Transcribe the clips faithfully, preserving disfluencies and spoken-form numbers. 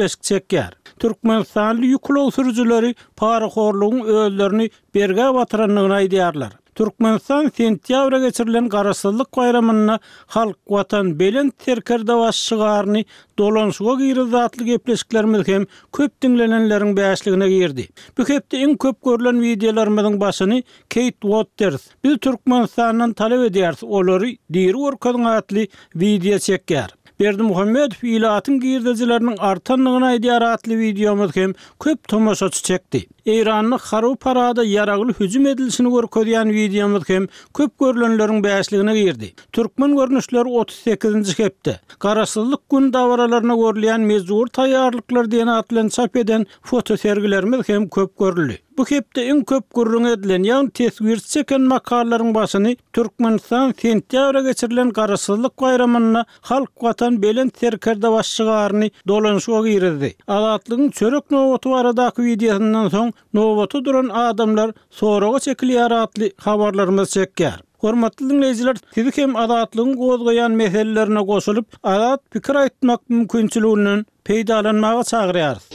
gepleşik çekýär. Türkmenistanly ýük ulag sürüjileri parahorlugyň özlerini bergä batyrandygyny aýdýarlar. Türkmenistan sentýabra geçirilen Garaşsyzlyk baýramynda Halk, Watan, Belent Serkerdebaşy şygaryny dolanyşyga girizdi atly gepleşiklerimiz hem köp diňlenenleriň bäşligine girdi. Bu hepde iň köp görlen wideolarymyzyň başyny Keýt Uotters, Biz Türkmenistandan talap edýäris, olary diri görkeziň atly wideo çekýär. Berdimuhamedow ilatyň girdejileriniň artandygyny aýdýar atly wideomyz hem köp tomaşaçy çekdi. Eýranda harby parada ýaragly hüjüm edilişini görkezýän wideomyz hem köp görlenleriň bäşligine girdi. Türkmen görnüşleri otuz sekizinji hepde, Garaşsyzlyk gün dabaralaryna görülýän mejbury taýýarlyklar diýen at bilen çap eden fotosergilerimiz hem köp görüldi. Bu hepde iň köp gürrüňi edilen, ýagny teswirçi çeken makalalaryň başyny Türkmenistan sentýabra geçirilen Garaşsyzlyk baýramynda Halk Watan Belent Serkerdebaşy şygaryny dolanyşyga girizdi. Azatlygyň çörek nobaty baradaky wideosyndan soň nobata duran adamlar soraga çekilýär atly habarlarymyz çekýär. Hormatly diňleýjiler, sizi hem Azatlygyň gozgaýan meselelerine goşulyp, azat pikir aýtmak mümkinçiliginden peýdalanmaga çagyrýarys.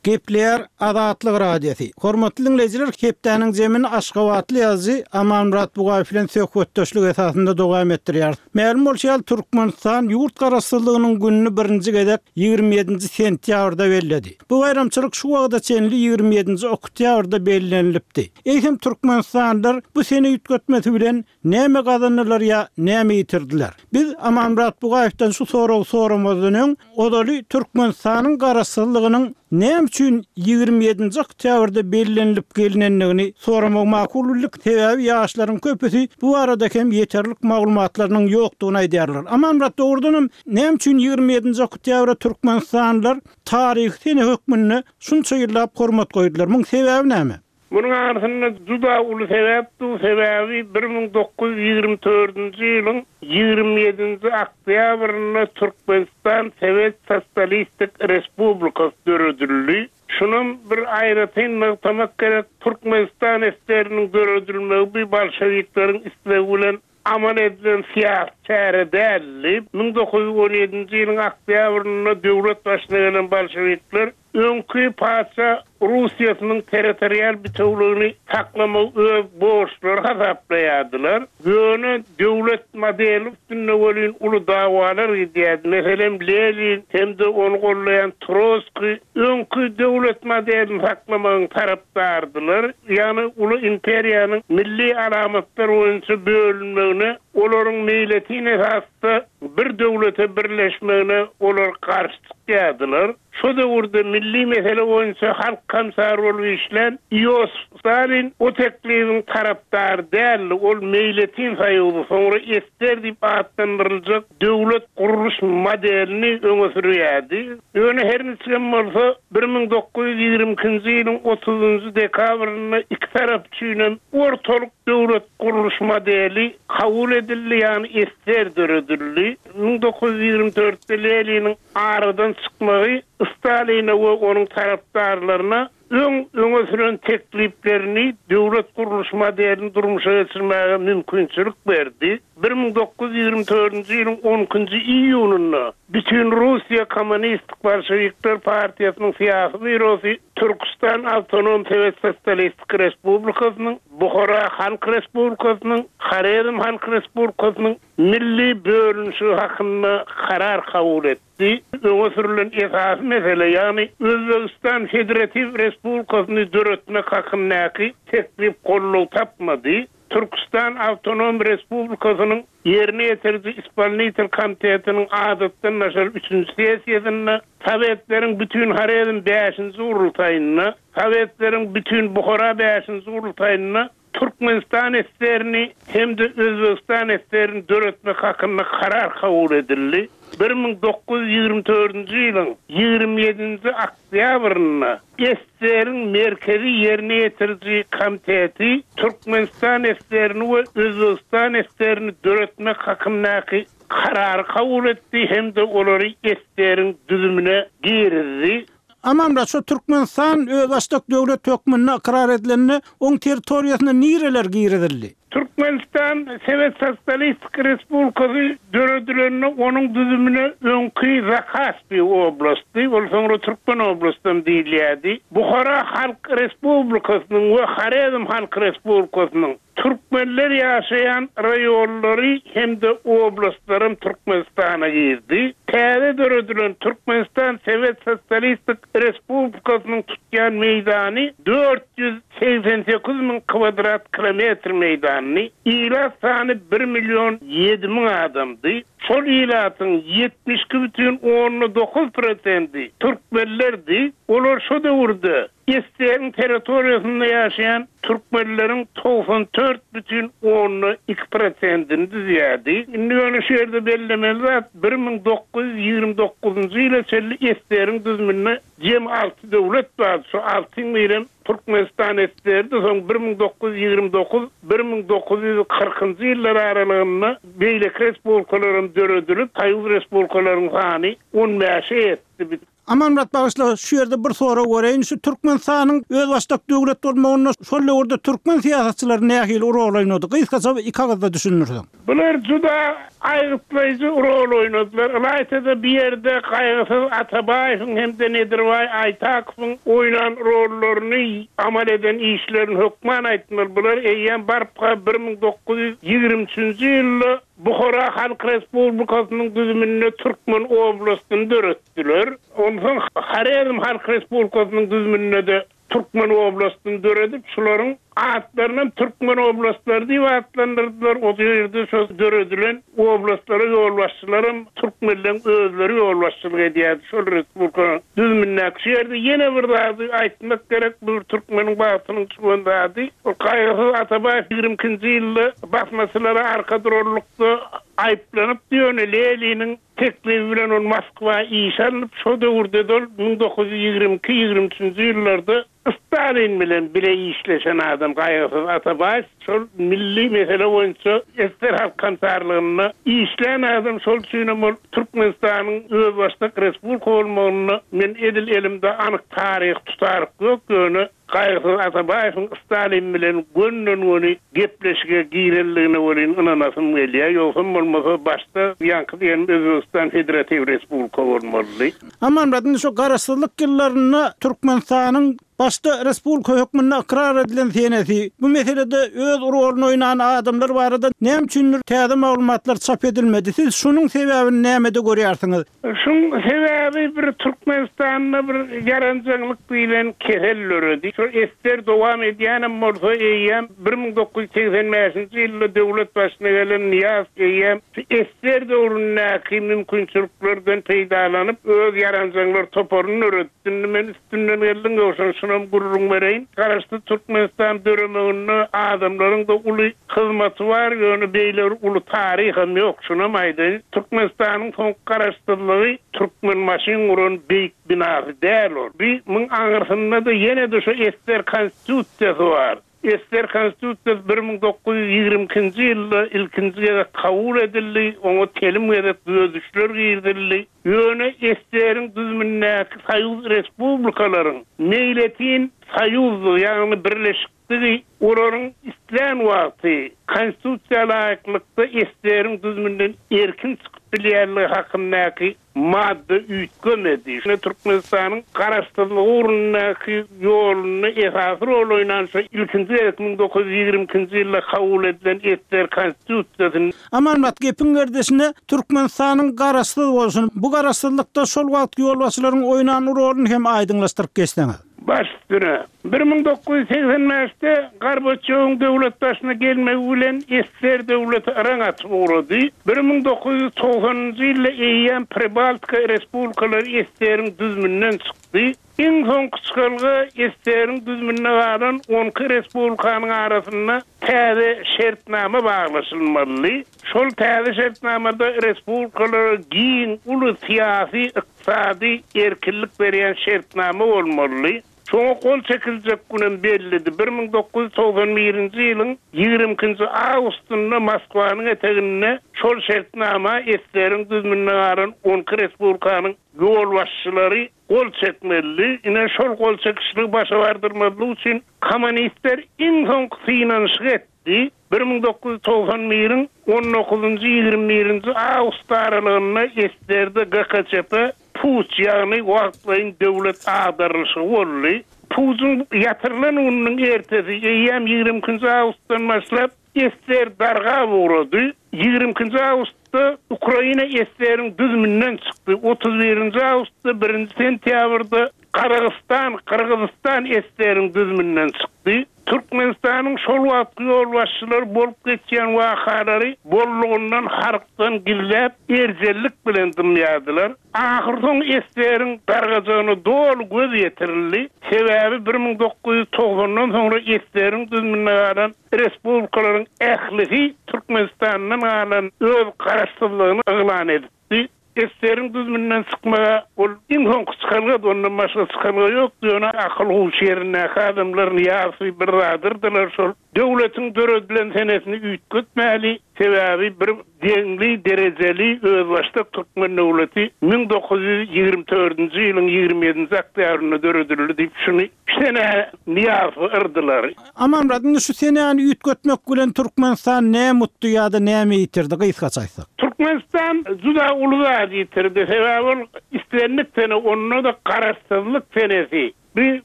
Gepleýär Azatlyk Radiosy. Hormatly diňleýjiler, hepdäniň jemini aşgabatly ýazyjy Amanmyrat Bugaýew bilen söhbetdeşlik esasynda dowam etdirýäris. Mälim bolşy ýaly, Türkmenistan ýurt Garaşsyzlygynyň gününi birinji gezek ýigrimi ýedinji sentýabrda belledi. Bu baýramçylyk şu wagta çenli ýigrimi ýedinji oktýabrda bellenilipdi. Eýsem, türkmenistanlylar bu sene üýtgetmesi bilen Näme gazandylar ýa näme ýitirdiler? Biz Amanmyrat Bugaýewden şu soragy soramazdan öň, ozaly Türkmenistanyň Garaşsyzlygynyň näme üçin ýigrimi ýedinji oktýabrda bellenilip gelinendigini soramagy makul bildik, sebäbi ýaşlaryň köpüsi bu barada hem ýeterlik maglumatlarynyň ýokdugyny aýdýarlar. Amanmyrat, dogrudanam, näme üçin ýigrimi ýedinji oktýabra türkmenistanlylar taryhy sene hökmünde şunça ýyllap hormat goýdular? Muň sebäbi näme? Munuň arasynda juda uly sebäp dur, sebäbi bir müň dokuz ýüz ýigrimi dördünji ýylyň ýigrimi ýedinji oktýabrynda Türkmenistan Sowet Sosialistik Respublikasy döredildi. Şunam bir aýratyn nygtamak gerek, Türkmenistan S S R-niň döredilmegi bu bolşewikleriň islegi bilen amal edilen syýasy çäre däldi. Müň dokuz ýüz on ýedinji ýylyň oktýabrynda döwlet başyna gelen bolşewikler öňki patyşa Russiýasynyň territorial bitewligini saklamagy öz borçlary hasaplaýardylar. Ýöne döwlet modeli üstünde welin uly dawalar gidýärdi. Meselem, Lenin hem-de ony gollaýan Troskiý öňki döwlet modelini saklamagyň tarapdarydylar. Ýagny uly imperiýanyň milli alamatlar boýunça bölünmegine, olaryň meýletin esasda bir döwlete birleşmegine olar garşy çykýardylar. Şo döwürde milli mesele boýunça halk komissary bolup işlän Iosif Stalin o teklibiň tarapdary däldi, ol meýletin soýuzy, soňra S S R diýip atlandyryljak döwlet gurluş modelini öňe sürýärdi. Ýöne her niçigem bolsa, bir müň dokuz ýüz ýigrimi ikinji ýylyň otuzynjy dekabrynda iki tarap üçinem ortalyk döwlet gurluş modeli kabul edildi, ýagny S S R döredildi. Müň dokuz ýüz ýigrimi dörtde Leniniň aradan çykmagy Staline we onuň tarapdarlaryna öň öňe süren tekliplerini, döwlet gurluş modelini durmuşa geçirmäge mümkinçilik berdi. Bir müň dokuz ýüz ýigrimi dördünji ýylyň on ikinji iýunynda Bütinrussiýa Kommunistik Bolşewikler partiýasynyň syýasy býurosy Türküstan Awtonom Sowet Sosialistik Respublikasynyň, Buhara Halk Respublikasynyň, Horezm Halk Respublikasynyň milli bölünişigi hakynda karar kabul etdi. Öňe sürülen esasy mesele, ýagny Özbegistan Federatiw Respublikasyny döretmek hakyndaky teklip goldaw tapmady. Türküstan Awtonom Respublikasynyň Ýerine ýetiriji Ispolnitel komitetiniň adatdan daşary üçünji sessiýasynda, Sowetleriň Bütin Horezm bäşinji gurultaýynda, Sowetleriň Bütin Buhara bäşinji gurultaýynda Türkmenistan S S R-ni hem-de Özbegistan S S R-ni döretmek hakynda karar kabul edildi. Bir müň dokuz ýüz ýigrimi dördünji ýylyň ýigrimi ýedinji oktýabrynda S S R-iň Merkezi Ýerine ýetiriji komiteti Türkmenistan S S R-ni we Özbegistan S S R-ni döretmek hakyndaky karary kabul etdi hem-de olary S S R-iň düzümine girizdi. Amanmyrat, şu Türkmenistan özbaşdak döwlet hökmünde ykrar edilende, oň territoriýasyna nireler girizildi? Türkmenistan Sowet Sosialistik Respublikasy döredileninde onuň düzümine öňki Zakaspi oblasty, ol soňra Türkmen oblastym diýilýärdi. Buhara Halk Respublikasynyň we Horezm Halk Respublikasynyň Türkmenler ýaşaýan raýonlary hem-de oblastlarym Türkmenistana girdi. Täze döredilen Türkmenistan Sowet Sosialistik Respublikasynyň tutýan meýdany dört ýüz segsen sekiz müň kvadrat kilometr meýdanyny, ilat sany bir million ýedi müň adamdy. Şol ilatyň ýetmiş iki bütin onda dokuz prosenti türkmenlerdi. Olar şo döwürde S S R-iň territoriýasynda ýaşaýan türkmenleriň togsan dört bütin onda iki prosentini düzýärdi. Indi ýöne şu ýerde bellemeli zat, bir müň dokuz ýüz ýigrimi dokuzynjy ýyla çenli S S R-iň düzüminde jem alty döwlet bardy. Şu altyň birem Türkmenistan S S R-di. Soň bir müň dokuz ýüz ýigrimi dokuz, bir müň dokuz ýüz kyrkynjy ýyllar aralygynda beýleki respublikalaryň döredilip, Soýuz respublikalaryň sany on bäşe ýetdi. Amanmyrat bagyşla, şu ýerde bir sorag bereýin. Şu Türkmenistanyň özbaşdak döwlet bolmagynda şol döwürde türkmen syýasatçylary nähili rol oýnady? Gysgaça iki agyzda düşündirseň. Bular juda aýgytlaýjy rol oýnadylar. Ylaýta-da bir ýerde Gaýgysyz Atabaýewiň hem-de Nedirbaý Aýtakowyň oýnan rollaryny amal eden işlerini hökman aýtmaly. Bular eýýäm barpa bir müň dokuz ýüz ýigrimi üçünji ýylda Buhara Halk Respublikasynyň düzüminde Türkmen oblastyny döretdiler. Onsoň Horezm Halk Respublikasynyň düzüminde de Türkmen oblastyny döredip, şularyň atlaryny Türkmen oblastlary diýip atlandyrdylar. O ýerde şo döredilen oblastlara ýolbaşçylarym türkmenleň özleri ýolbaşçylyk edýärdi. Şol respublikanyň düzümindäki şu ýerde ýene bir zady aýtmak gerek, bu türkmeniň bagtynyň çykan zady. Ol Gaýgysyz Atabaýew ýigrimi ikinji ýylda basmaçylara arka durarlykda aýyplanyp ýöne Leniniň teklifi bilen ol Moskwa iş alnyp, şo döwürde de ol müň dokuz ýüz ýigrimi iki, ýigrimi üçünji ýyllarda Stalin bilen bile işleşen adam Gaýgysyz Atabaýew şol milli mesele boýunça S S R Halk Komissarlygynda işlän adam, şol üçinem ol Türkmenistanyň özbaşdak respublika bolmagynda men edil elimde anyk taryh tutaryk ýok, ýöne Gaýgysyz Atabaýewiň Stalin bilen gönden-göni gepleşige girenligine welin ynanasym gelýär. Ýogsam bolmasa başda ýaňky diýen Özbegistan Federatiw Respublika bolmalydy. Amanmyrat, indi şu garaşsyzlyk ýyllarynda Türkmenistanyň başda respublika hökmünde ykrar edilen senesi, bu meselede öz roluny oýnan adamlar barada näme üçindir täze maglumatlar çap edilmedi? Siz şunuň sebäbini nämede görýärsiňiz? Şuň sebäbi bir Türkmenistanda bir ýaranjaňlyk bilen kesel döredi. Şu S S R dowam edýänem bolsa eýýäm bir müň dokuz ýüz segsen bäşinji ýylda döwlet başyna gelen Nyýazow eýýäm S S R döwründäki mümkinçiliklerden peýdalanyp öz ýaranjaňlar toparyny döretdi. Indi men üstünden geldim, ýogsa şunam gürrüň bereýin. Garaşsyz Türkmenistan döremeginde adamlaryň da uly hyzmaty bar, ýöne beýle uly taryham ýok. Şunam aýdaýyn. Türkmenistanyň soňky garaşsyzlygy Türkmenbaşyň guran beýik binasy däl ol. Bir müň aňyrsynda da ýene de şu S S R konstitusiýasy bar. S S R konstitusiýasy bir müň dokuz ýüz ýigrimi ikinji ýylda ilkinji gezek kabul edildi, oňa telim gezek düzedişler girizildi. Ýöne S S R-iň düzümindäki Soýuz respublikalaryň meýletin soýuzdy, ýagny birleşikdigi, olaryň islän wagty konstitusiýa laýyklykda S S R-iň düzüminden erkin çykyp bilýänligi hakyndaky madda üýtgemedi. Şune Türkmenistanyň garaşsyzlygy ugrundaky ýolunda esasy rol oýnan şu ilkinji gezek müň dokuz ýüz ýigrimi ikinji ýylda kabul edilen S S R konstitusiýasyny Amanmyrat gepiň gerdişine Türkmenistanyň garaşsyz bolsun. Bu garaşsyzlykda şol wagt ýolbaşçylaryň oýnan roluny hem aýdyňlaşdyryp geçseňiz. Baş üstüne. Bir müň dokuz ýüz segsen bäşde Gorbaçýowyň döwlet başyna gelmegi bilen S S R döwleti yraň atyp ugrady. Bir müň dokuz ýüz togsanynjy ýylda eýýäm Pribaltika respublikalary S S R-iň düzüminden çykdy. Iň soňky çykalga S S R-iň düzüminde galan on iki respublikanyň arasynda täze şertnama baglaşylmaly. Şol täze şertnamada respublikalara giň uly syýasy, ykdysady erkinlik berýän şertnama bolmaly. Şoňa gol çekiljek günem bellidi. Bir müň dokuz ýüz togsan birinji ýylyň ýigrimi ikinji awgustynda Moskwanyň eteginde şol şertnama S S R-iň düzüminde galan on iki respublikanyň ýolbaşçylary gol çekmeli. Ine şol gol çekişligi başa bardyrmazlyk üçin kommunistler iň soňky synanyşyk etdi. bir müň dokuz ýüz togsan biriň on dokuzunjy ýigrimi birinji awgust aralygynda S S R-de G K Ç P puç, ýagny wagtlaýyn döwlet agdarylyşy boldy. Puçuň ýatyrylan gününiň ertesi eýýäm ýigrimi ikinji awgustdan başlap S S R darga uğrady. Ýigrimi ikinji awgustda Ukraina S S R-iň düzüminden çykdy. Otuz birinji awgustda birinji sentýabrda Gazagystan, Gyrgyzystan S S R-iň düzüminden çykdy. Türkmenistanyň şol wagtky ýolbaşçylary bolup geçýän wakalary bollugundan halkdan gizläp erjellik bilen dymýardylar. Ahyr soň S S R-iň dargajagyna doly göz ýetirildi. Sebäbi bir müň dokuz ýüz togsandan soňra S S R-iň düzüminde galan respublikalaryň ählisi Türkmenistandan galan öz garaşsyzlygyny yglan edipdi. S S R-iň düzüminden çykmaga ol iň soňky çykalga, ondan başga çykalga ýokdy. Ýöne akyl huş ýerindäki adamlar ýarysy bir zadyrdylar. Şol döwletiň döredilen senesini üýtgetmäli. Sebäbi bir deňli derejeli özbaşdak Türkmen döwleti müň dokuz ýüz ýigrimi dördünji ýylyň ýigrimi ýedinji oktýabrynda döredildi diýip şuny sene Nyýazowy yrdylar. Amanmyrat, indi şu senäni üýtgetmek bilen Türkmenistan näme mutdy ýa-da näme ýitirdi gysgaça aýtsak? Türkmenistan juda uly zat ýitirdi. Sebäbi ol islendik sene, onda da garaşsyzlyk senesi. Bir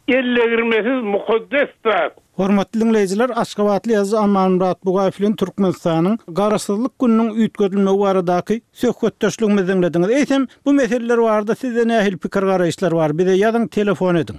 ellegirmesiz mukaddes zat. Hormatly dinleýjiler, Aşgabatly ýazyjy Amanmyrat Bugaýew bilen Türkmenistanyň Garaşsyzlyk gününiň üýtgedilmegi baradaky söhbetdeşligimizi dinlediňiz. Eýsem, bu meseleler barada sizde nähili pikir garaýyşlar bar? Bize ýazyň, telefon ediň.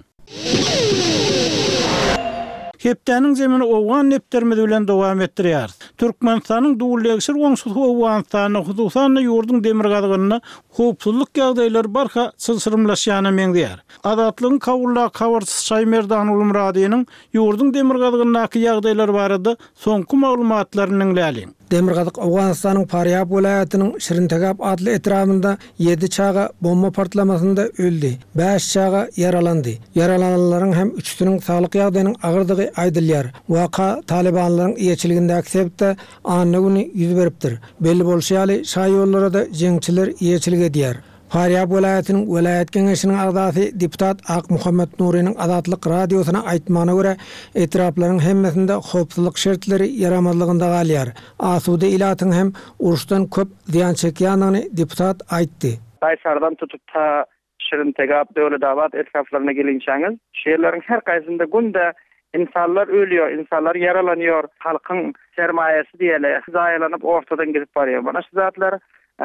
Hepdäniň zemini Owgan nepterimiz bilen dowam etdirýäris. Türkmenistanyň dullegşir goňşusy Owganystanda, hususan-da ýurduň demirgazygynda howpsuzlyk ýagdaýlary barha çylşyrymlaşýana meňzeýär. Azatlygyň Kabuldaky habarçysy Şaýmerdan Ulumradynyň ýurduň demirgazygyndaky ýagdaýlar barada soňky maglumatlaryny diňläliň. Demirgazyk Owganystanyň Farýab welaýatynyň Şirintegap adly etrabynda ýedi çaga bomba partlamasynda öldi. Bäş çaga ýaralandy. Ýaralananlaryň hem üçüsiniň saglyk ýagdaýynyň agyrdygy aýdylýar. Waka Talibanlaryň eýeçiligindäki sebitde anna güni ýüz beripdir. Belli bolşy ýaly, şaýollara da jeňçiler eýeçilik edýär. Farýab welaýatynyň welaýat geňeşiniň agzasy deputat Ak Muhammed Nuriniň Azatlyk radiosyna aýtmagyna görä, etraplaryň hemmesinde howpsuzlyk şertleri ýaramazlygynda galýar. Asuda ilatyň hem uruşdan köp zyýan çekýändigini deputat aýtdy. Daýsardan tutup ta Şirintegap, Döwletabat etraplaryna gelinçäňiz, şu ýerleriň her gaýsynda günde insanlar ölüyor, insanlar ýaralanýar, halkyň sermaýasy diýeli, zaýalanyp ortadan gidip barýar. Mana şu zatlar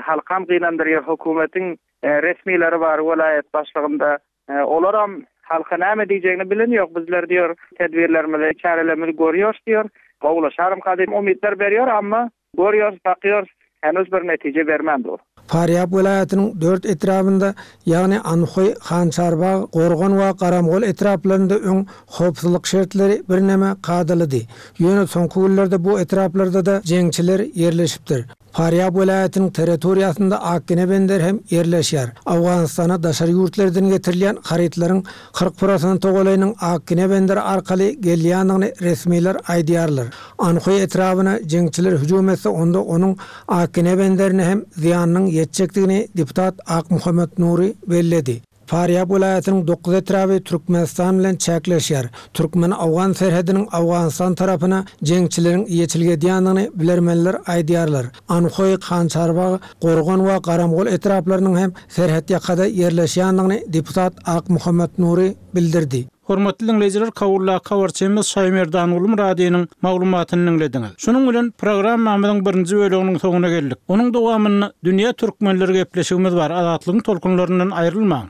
halkam gynandyrýar, hökümetiň, e, resmileri bar welaýat başlygynda. E, olaram halka näme diýjegini bilen ýok. Bizler diýyor, tedbirlerimizi, çärelerimizi görüyoruz diýyor. Gowulaşarym kadym umytlar berýär, amma görüyoruz, bakıyoruz, henüz bir netije bermän dur. Farýab welaýatynyň dört etrabynda, ýagny Anhoý, Hançarbag, Gorgan we Garamgol etraplarynda öň howpsuzlyk şertleri birneme kadalydy. Ýöne soňky günlerde bu etraplarda da jeňçiler ýerleşipdir. Farýab welaýatynyň territoriýasynda Akgene bender hem ýerleşýär. Owganystana daşary ýurtlardan getirilýän harytlaryň kyrk prosent golaýynyň Akgene benderi arkaly gelýändigini resmiler aýdýarlar. Anhoý etrabyna jeňçiler hüjüm etse, onda onuň Akgene benderine hem zyýanynyň ýetjekdigini deputat Ak Muhammed Nuri belledi. Farýab welaýatynyň dokuz etraby Türkmenistan bilen çäkleşýär. Türkmen-Awgan serhediniň Awganistan tarapyna jeňçileriň eýeçilik edýändigini bilermenler aýdýarlar. Anhoý, Hançarbag, Gorgan we Garamgol etraplarynyň hem serhet ýakada ýerleşýändigini deputat Ak Muhammed Nuri bildirdi. Hormatly dinleýjiler, Kabuldaky habarçymyz Şaýmerdan Ulumradynyň maglumatyny dinlediňiz. Şunuň bilen programmamyzyň birinji bölüminiň soňuna geldik. Onuň dowamynda Dünýä Türkmenleri gepleşigimiz bar. Azatlygyň tolkunlaryndan aýrylmaň.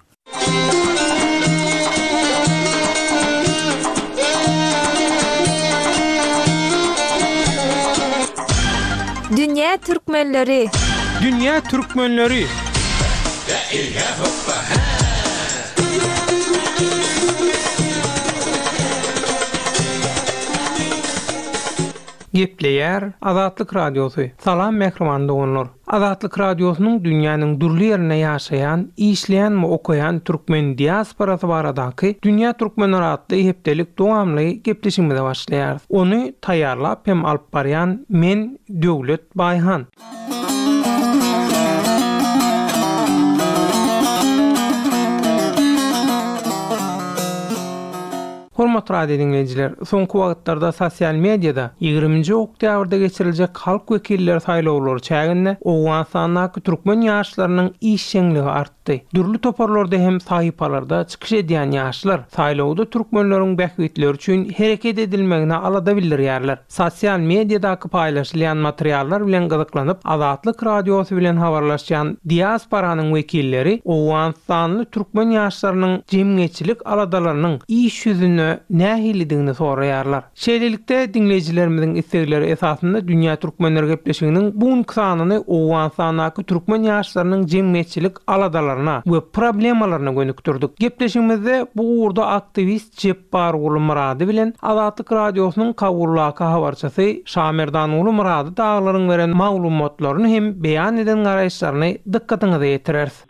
Dünýä Türkmenleri. Dünýä Türkmenleri. Gepleýär Azatlyk Radiosy. Salam mähriban doganlar. Azatlyk Radiosynyň dünýäniň dürli ýerinde ýaşaýan, işleýän we okaýan türkmen diasporasy baradaky Dünýä Türkmenleri atly hepdelik dowamly gepleşigimize başlaýarys. Ony taýýarlap hem alyp barýan men Döwlet Baýhan. Hormatly Hormatly radio diňleýjiler, soňky wagtlarda sosial mediada ýigriminji oktýabrda geçiriljek halk wekilleri saýlawlary çäginde Owganystandaky türkmen ýaşlarynyň işjeňligi artdy. Dürli toparlarda hem sahypalarda çykyş edýän ýaşlar saýlawda türkmenleriň bähbitleri üçin hereket edilmegine alada bildirýärler. Sosial mediadaky paýlaşylýan materiallar bilen gyzyklanyp, Azatlyk radiosy bilen habarlaşýan diasporanyň wekilleri Owganystanly türkmen ýaşlarynyň jemgyýetçilik aladalarynyň iş ýüzünde nähilidigini soraýarlar. Şeýlelikde diňleýjilerimiziň islegleri esasynda Dünýä Türkmenler gepleşiginiň bu günki sanyny Owganystandaky türkmen ýaşlarynyň jemgyýetçilik aladalaryna we problemalaryna gönükdirdik. Gepleşigimizde bu ugurda aktiwist Jepbarguly Murady bilen Azatlyk radiosynyň Kabuldaky habarçysy Şamerdanguly Murady daglaryň beren maglumatlaryny hem beýan eden garaýyşlaryny dykgatyňyza ýetireris.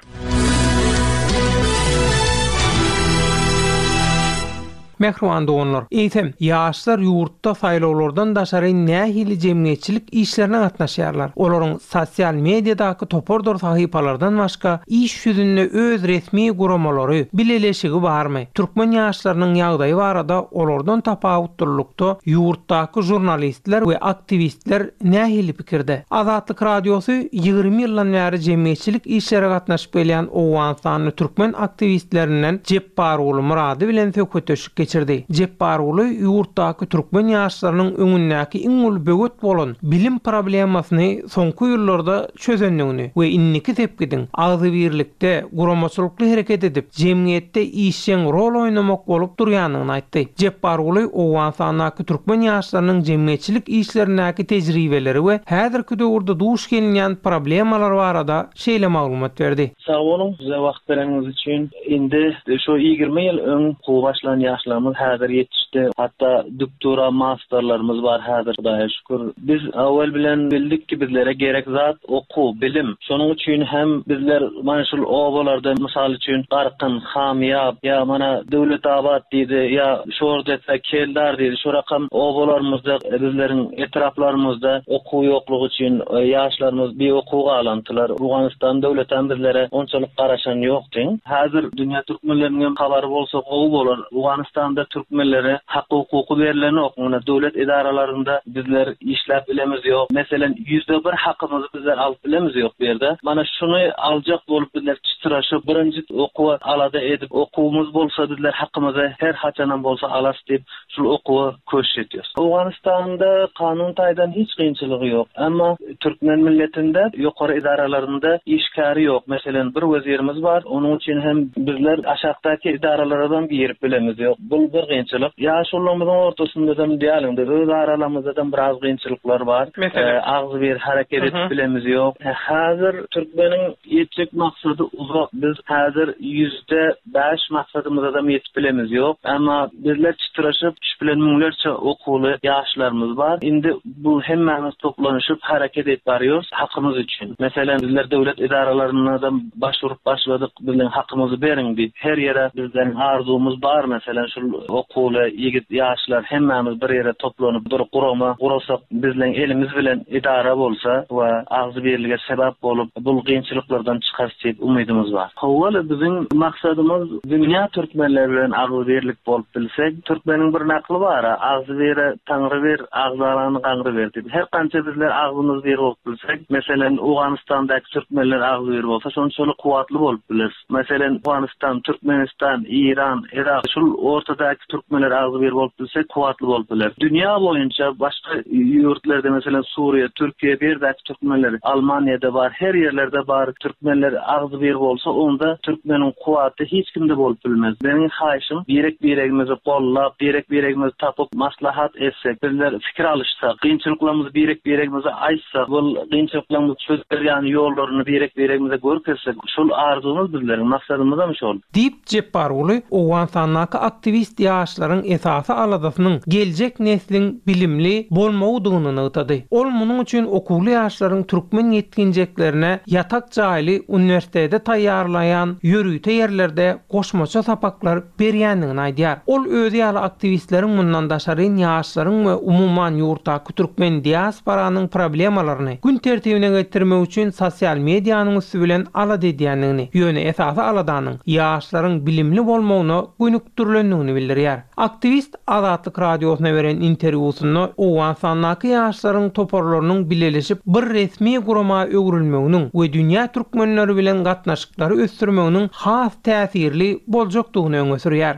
Mähriban doganlar, eýsem, ýaşlar ýurtda saýlawlardan daşary nähili jemgyýetçilik işlerine gatnaşýarlar? Olaryň sosial mediadaky topardyr sahypalardan başga iş ýüzünde öz resmi guramalary, bileleşigi barmy? Türkmen ýaşlarynyň ýagdaýy barada olardan tapawutlylykda ýurtdaky žurnalistler we aktiwistler nähili pikirde? Azatlyk radiosy ýigrimi ýyldan bäri jemgyýetçilik işlere gatnaşyp gelýän Owganystanly türkmen aktiwistlerinden Jepbarguly Murady bilen söhbetdeşlik geçirdi. Jepbarguly ýurtdaky türkmen ýaşlarynyň öňündäki iň uly böwet bolan bilim problemasyny soňky ýyllarda çözendigini we indiki sepgidiň agzybirlikde guramaçylykly hereket edip, jemgyýetde işjeň rol oýnamak bolup durýandygyny aýtdy. Jepbarguly Owganystandaky türkmen ýaşlarynyň jemgyýetçilik işlerindäki tejribeleri we häzirki döwürde duş gelinýän problemalar barada şeýle maglumat berdi. Sag boluň, bize wagt bereniňiz üçin. Indi şu ýigrimi ýyl öň okuwa başlan ýaşlarymyz häzir ýetişdi. Hatda doktora, masterlarymyz bar häzir, Hudaýa şükür. Biz awal bilen bildik ki bizlere gerek zat okuw, bilim. Şonuň üçin hem bizler mana şul obalarda mysal üçin Garkyn, Hamyýap, ýa mana Döwletabat diýdi, ýa Şordepe, Keldar diýdi. Şu rakam obalarymyzda, bizleriň etraplarymyzda okuw ýoklugy üçin ýaşlarymyz bir okuw galantylar. Owganystan döwletem bizlere onçalyk garaşan ýokdy. Häzir dünýä türkmenleriniň hem habary bolsa gowy bolar. Owganystanda türkmenlere hak hukuky berilen ýok. Muna döwlet edaralarynda bizler işläp bilemiz ýok. Meselen ýüzde bir hakymyzy bizler alyp bilemiz ýok bu ýerde. Mana şuny aljak bolup bizler çytraşyp, birinji okuwa alada edip, okuwymyz bolsa bizler hakymyzy her haçanam bolsa alas diýip, şul okuwa köşş ediyoruz. Owganystanda kanun taýdan hiç kynçylygy ýok. Amma türkmen milletinde ýokary edaralarynda işgäri ýok. Meselen bir wezirimiz bar. Onuň üçin hem bizler aşakdaky edaralardan girip bilemiz ýok. Bu bir kynçylyk. Ýaşulymyzyň ortasynda da diýalyňda öz aralarymyzda da biraz kynçylyklar bar. Meselen? E, agzy bir hareket edip bilemiz ýok. E, häzir türkmeniň ýetjek maksady uzak. Biz häzir ýüzde bäş maksadymyza da ýetip bilemiz ýok. Amma bizler çytraşyp, şu bilen müňlerçe okuwly ýaşlarymyz bar. Indi bu hemmämiz toplanyşyp hareket edip barýarys hakymyz üçin. Meselen bizler döwlet edaralarynda da başvurup başladyk, bizleň hakymyzy beriň diýip. Her ýere bizden arzuwymyz bar. Meselen şu okuwly ýigit ýaşlar hemmämiz bir ýere toplanyp bir gurama gurasak, bizleň elimiz bilen idara bolsa we agzy birlige sebäp bolup bu kynçylyklardan çykarys diýip umydymyz bar. Howala biziň maksadymyz dünýä türkmenleri bilen agzy birlik bolup bilsek, türkmeniň bir nakly bar, agzy bire Taňry bir, agzalany gaňry bir diýip. Her kança bizler agzymyz bir bolup bilsek, meselen Owganystandaky türkmenler agzy bir bolsa, şonçaly kuwwatly bolup biler. Meselen Owganystan, Türkmenistan, İran, Irak, şul ortadaky türkmenler agzy bir bolup bilsek, kuwwatly bolup biler. Dünýä boýunça başga ýurtlarda meselen Suriýa, Türkiýe, bir däki türkmenler Almaniýada bar, her ýerlerde bar. Türkmenler agzy bir bolsa, onda türkmeniň kuwwaty hiç kimde bolup bilmez. Meniň haýyşym birek-biregimizi gollap, birek-biregimizi tapyp maslahat etsek, bizler fikir alyşsak, kynçylyklarymyzy birek-biregimize aýtsak, bu kynçylyklarymyzy çözýän ýollaryny birek-biregimize görkezsek, şol arzuwymyz bizleriň maksadymyz hem şol. Diýip Jepbarguly Owganystandaky aktiwist ýaşlaryň esasy aladasynyň geljek nesliň bilimli bolmagydygyny nygtady. Ol munuň üçin okuwly ýaşlaryň türkmen ýetginjeklerine ýatak jaýly uniwersitete taýýarlaýan ýörite ýerlerde goşmaça sapaklar berýändigini aýdýar. Ol özi ýaly aktiwistleriň mundan daşary ýaşlaryň we umuman ýurtdaky türkmen diasporanyň problemalaryny gün tertibine getirmek üçin sosial medianyň üsti bilen alada edýändigini, ýöne esasy aladanyň ýaşlaryň bilimli bolmagyna gönükdirilendigini gerekdigini bildirýär. Aktiwist Azatlyk Radiosyna beren interwýusynda Owganystandaky ýaşlaryň toparlarynyň bileleşip bir resmi gurama öwrülmeginiň we dünýä türkmenleri bilen gatnaşyklary ösdürmeginiň has täsirli boljakdygyny öňe sürýär.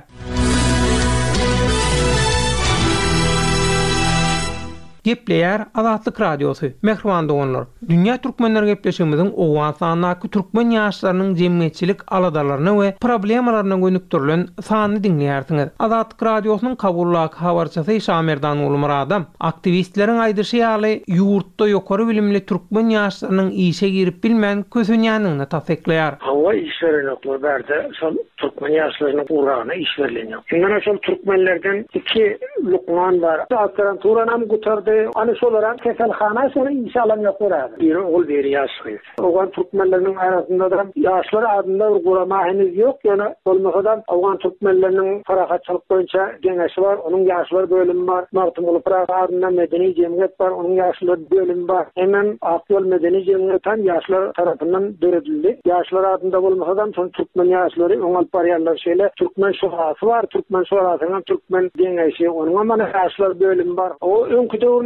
Gepleýär Azatlyk Radiosy. Mähriban doganlar, Dünýä Türkmenler gepleşigimiziň Owganystandaky türkmen ýaşlarynyň jemgyýetçilik aladalaryna we problemalaryna gönükdirilen sanyny diňleýärsiňiz. Azatlyk Radiosynyň Kabuldaky habarçysy Şamerdan Gulmyradam aktiwistleriň aýdyşy ýaly ýurtda ýokary bilimli türkmen ýaşlarynyň işe girip bilmän kösenýändigini tassyklaýar. Hawa iş berenoklar bärde şol türkmen ýaşlarynyň uragyna iş berilenok. Indi şol türkmenlerden iki lukman bar. Doktoranturanam gutardy. Ani şolara keselhana şony işe alan ýoklar häzir. Biri ogul, biri ýaş gyz. Owgan türkmenleriniň arasynda da ýaşlar adynda bir gurama henüz ýok. Ýöne bolmasa da Owgan türkmenleriniň parahatçylyk boýunça geňeşi bar, onuň ýaşlar bölümi bar. Magtymguly Pyragy adynda medeni jemgyýet bar, onuň ýaşlar bölümi bar. Hemem Akýol medeni jemgyýeti hem ýaşlar tarapyndan döredildi. Ýaşlar adynda bolmasa da şol türkmen ýaşlary öň alyp barýarlar. Şeýle türkmen şurasy bar, türkmen şurasynyň türkmen geňeşi, onuň hem ýaşlar bölümi bar. O öňki döwürlerde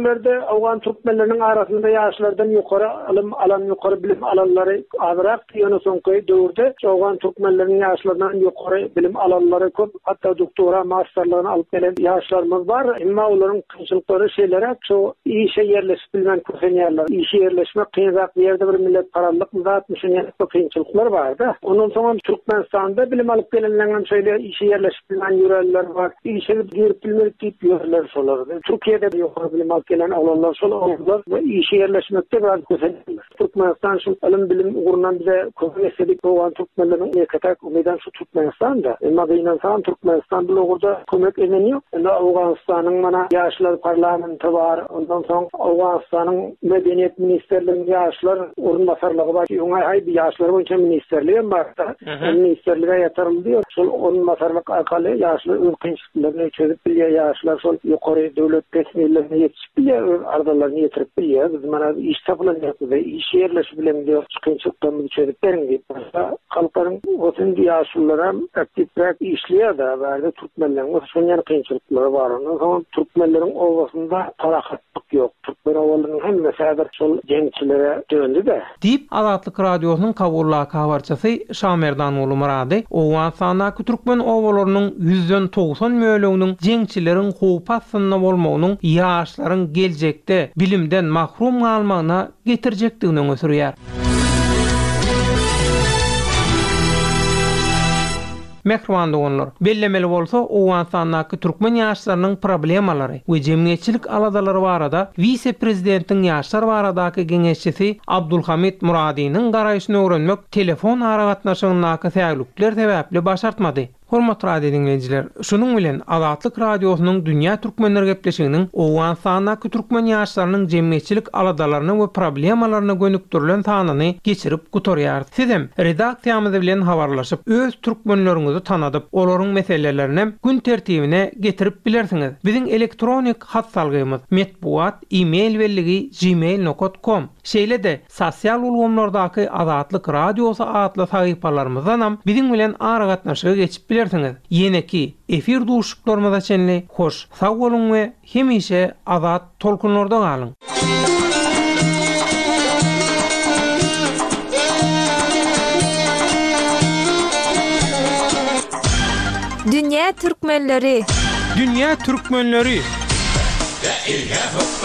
Owgan türkmenleriniň arasynda ýaşlardan ýokary ylym alan, ýokary bilim alanlary azrak, ýöne soňky döwürde Owgan türkmenleriniň ýaşlaryndan ýokary bilim alanlary köp, hatda doktora, masterlaryny alyp gelen ýaşlarymyz bar. Emma olaryň kynçylyklary şeýleräk, şu işe ýerleşip bilmän kösenýärler. Işe ýerleşmek kynrak bir ýerde bir millet parallyk zatmy, şuny ýaly kynçylyklar bar-da. Ondan soň hem Türkmenistanda bilim alyp gelenleriň hem şeýle işe ýerleşip bilmän ýörenler bar. Işe girip bilmedik diýip ýörler şolar. Türkiýede ýokary bilim alyp gelen oglanlar şol oglanlar we işe ýerleşmekde biraz kösenýärler. Türkmenistan şu ylym bilim ugrundan bize kömek etsedik, Owgan türkmenleriniň ýeke-täk umydan şu Türkmenistanda. Emma gynansaň Türkmenistan bu ugurda kömek eden ýok. Indi Owganystanyň mana ýaşlar parlamenti bar. Ondan soň Owganystanyň Medeniýet ministrliginiň ýaşlar orunbasarlygy bar. Öňe haý bir ýaşlar boýunça ministrligi hem bar. O ministrlige ýatyryldy. Şol orunbasarlyk arkaly ýaşlar öz kynçylyklaryny çözüp bilýär. Ýaşlar şol ýokary döwlet resmilerine ýetişip bilýär, öz arzalaryny ýetirip bilýär. Biz mana iş tapylan ýok, bize iş ýerleşip bilen diýip, kynçylyklarymyzy çözüp beriň diýip. Başga halklaryň olsun ýaşlylar hem aktiwräk işleýär da, bärde türkmenleriň bolsa şonuň ýaly kynçylyklary bar. Ondan soň türkmenleriň obasynda parahatlyk ýok. Türkmen obalarynyň hemmesi häzir şol jeňçilere döndü-de. Diýip Azatlyk Radiosynyň Kabuldaky habarçysy Şamerdan Gulmyrady Owganystandaky türkmen obalarynyň ýüzden togsan böleginiň jeňçileriň howp astynda bolmagynyň ýaşlaryň geljekde bilimden mahrum galmagyna getirjekdigini öňe sürýär. Mähriban doganlar, bellemeli bolsa Owganystandaky türkmen ýaşlarynyň problemalary we jemgyýetçilik aladalary barada wise-prezidentiň ýaşlar baradaky geňeşçisi Abdulhamid Muradynyň garaýşyny öwrenmek telefon aragatnaşygyndaky säwlikler sebäpli başartmady. Hormatly radio dinleýjiler, şunuň bilen Azatlyk Radiosynyň Dünýä Türkmenler gepleşiginiň Owganystandaky türkmen ýaşlarynyň jemgyýetçilik aladalaryna we problemalaryna gönükdirilen sanyny geçirip gutarýar. Sizem redaksiýamyz bilen habarlaşyp, öz türkmenleriňizi tanadyp, olaryň meselelerini gün tertibine getirip bilersiňiz. Biziň elektronik hat salgymyz metbugat e-mail belligi gmail nokta com. Şeýle-de sosial ulgamlardaky Azatlyk Radiosy atly sahypalarymyzdan biziň bilen aragatnaşyga geçip bilersiňiz. Ýeneki efir duşuklarymyza çenli hoş, sag boluň we hemişe azat tolkunlarda galyň. Dünýä Türkmenleri. Dünýä Türkmenleri. La ilahe